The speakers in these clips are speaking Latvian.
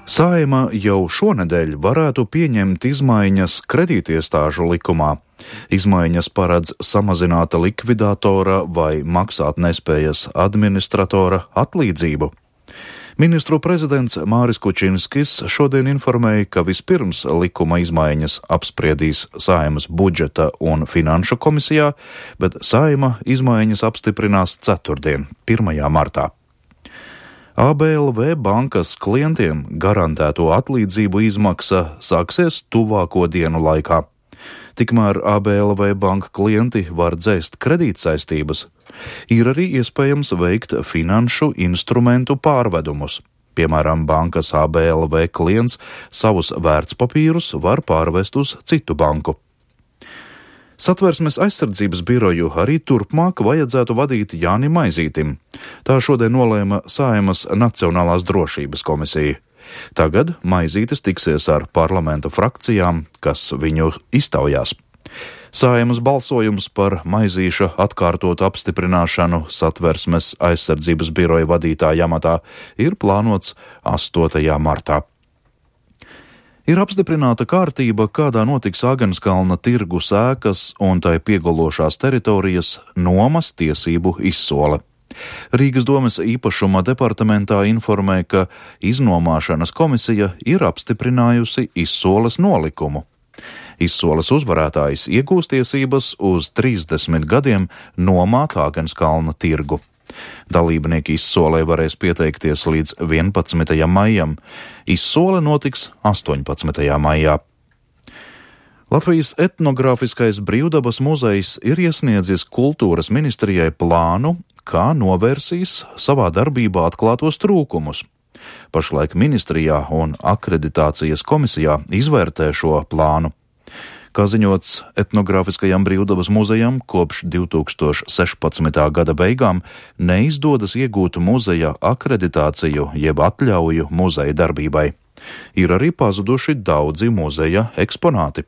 Saeima jau šonedēļ varētu pieņemt izmaiņas kredītiestāžu likumā. Izmaiņas paredz samazināt likvidatora vai maksātnespējas administratora atlīdzību. Ministru prezidents Māris Kučinskis šodien informēja, ka vispirms likuma izmaiņas apspriedīs Saeimas budžeta un finanšu komisijā, bet Saeima izmaiņas apstiprinās ceturtdien, 1. martā. ABLV bankas klientiem garantēto atlīdzību izmaksa sāksies tuvāko dienu laikā. Tikmēr ABLV banka klienti var dzēst kredītsaistības. Ir arī iespējams veikt finanšu instrumentu pārvedumus. Piemēram, bankas ABLV klients savus vērtspapīrus var pārvest uz citu banku. Satversmes aizsardzības biroju arī turpmāk vajadzētu vadīt Jānim Maizītim. Tā šodien nolēma Saeimas Nacionālās drošības komisija. Tagad Maizītis tiksies ar parlamenta frakcijām, kas viņu iztaujās. Saeimas balsojums par Maizīša atkārtotu apstiprināšanu Satversmes aizsardzības biroja vadītāja amatā ir plānots 8. martā. Ir apstiprināta kārtība, kādā notiks Āgenskalna tirgus ēkas un tai piegološās teritorijas nomas tiesību izsole. Rīgas domes īpašuma departamentā informē, ka iznomāšanas komisija ir apstiprinājusi izsoles nolikumu. Izsoles uzvarētājs iegūs tiesības uz 30 gadiem nomāt Āgenskalna tirgu. Dalībnieki izsolē varēs pieteikties līdz 11. maijam. Izsole notiks 18. maijā. Latvijas etnogrāfiskais brīvdabas muzejs ir iesniedzis kultūras ministrijai plānu, kā novērsīs savā darbībā atklātos trūkumus. Pašlaik ministrijā un akreditācijas komisijā izvērtē šo plānu. Kā ziņots, etnogrāfiskajam brīvdabas muzejam kopš 2016. gada beigām neizdodas iegūt muzeja akreditāciju jeb atļauju muzeja darbībai. Ir arī pazuduši daudzi muzeja eksponāti.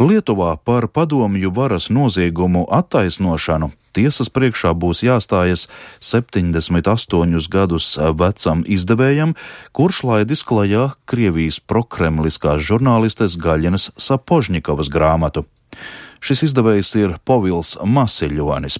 Lietuvā par padomju varas noziegumu attaisnošanu tiesas priekšā būs jāstājas 78 gadus vecam izdevējam, kurš laidis klajā Krievijas prokremliskās žurnālistes Gaļinas Sapožņikovas grāmatu. Šis izdevējs ir Povils Masiļonis.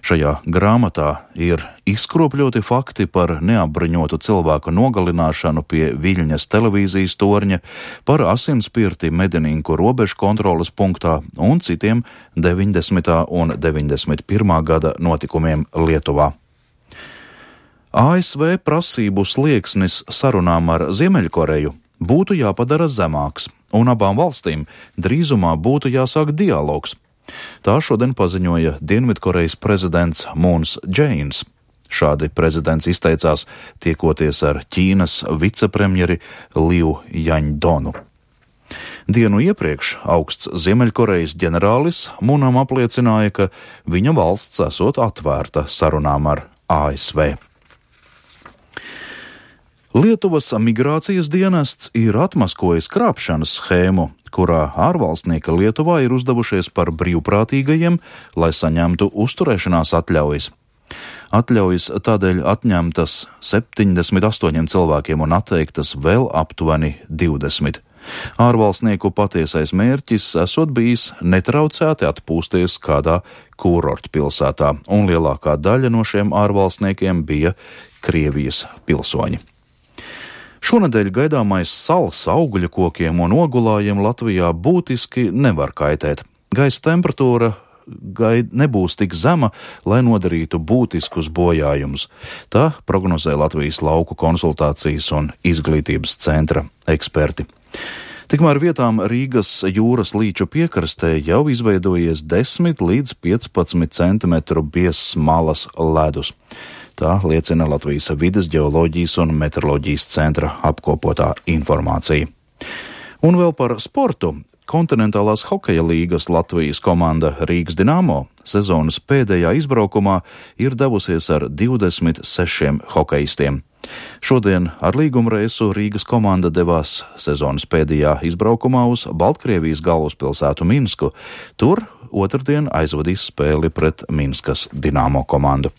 Šajā grāmatā ir izkropļoti fakti par neapbruņotu cilvēku nogalināšanu pie Viļņas televīzijas torņa, par asinspirti Medininku robežu kontroles punktā un citiem 90. un 91. gada notikumiem Lietuvā. ASV prasību slieksnis sarunām ar Ziemeļkoreju būtu jāpadara zemāks, un abām valstīm drīzumā būtu jāsāk dialogs. Tā šodien paziņoja Dienvidkorejas prezidents Mūns Džeins. Šādi prezidents izteicās tiekoties ar Ķīnas vicepremjeri Liu Jaņdonu. Dienu iepriekš augsts Ziemeļkorejas ģenerālis Mūnam apliecināja, ka viņa valsts esot atvērta sarunām ar ASV. Lietuvas migrācijas dienests ir atmaskojis krāpšanas schēmu, kurā ārvalstnieki Lietuvā ir uzdevušies par brīvprātīgajiem, lai saņemtu uzturēšanās atļaujas. Atļaujas tādēļ atņemtas 78 cilvēkiem un atteiktas vēl aptuveni 20. Ārvalstnieku patiesais mērķis esot bijis netraucēti atpūsties kādā kurortpilsētā, un lielākā daļa no šiem ārvalstniekiem bija Krievijas pilsoņi. Šonedēļ gaidāmais sals augļu kokiem un ogulājiem Latvijā būtiski nevar kaitēt. Gaisa temperatūra nebūs tik zema, lai nodarītu būtiskus bojājumus. Tā prognozē Latvijas lauku konsultācijas un izglītības centra eksperti. Tikmēr vietām Rīgas jūras līču piekrastē jau izveidojies 10 līdz 15 cm biezs malas ledus. Tā liecina Latvijas vides ģeoloģijas un meteoroloģijas centra apkopotā informācija. Un vēl par sportu. Kontinentālās hokeja līgas Latvijas komanda Rīgas Dinamo sezonas pēdējā izbraukumā ir devusies ar 26 hokejistiem. Šodien ar līgumreisu Rīgas komanda devās sezonas pēdējā izbraukumā uz Baltkrievijas galvaspilsētu Minsku. Tur otrdien aizvadīs spēli pret Minskas Dinamo komandu.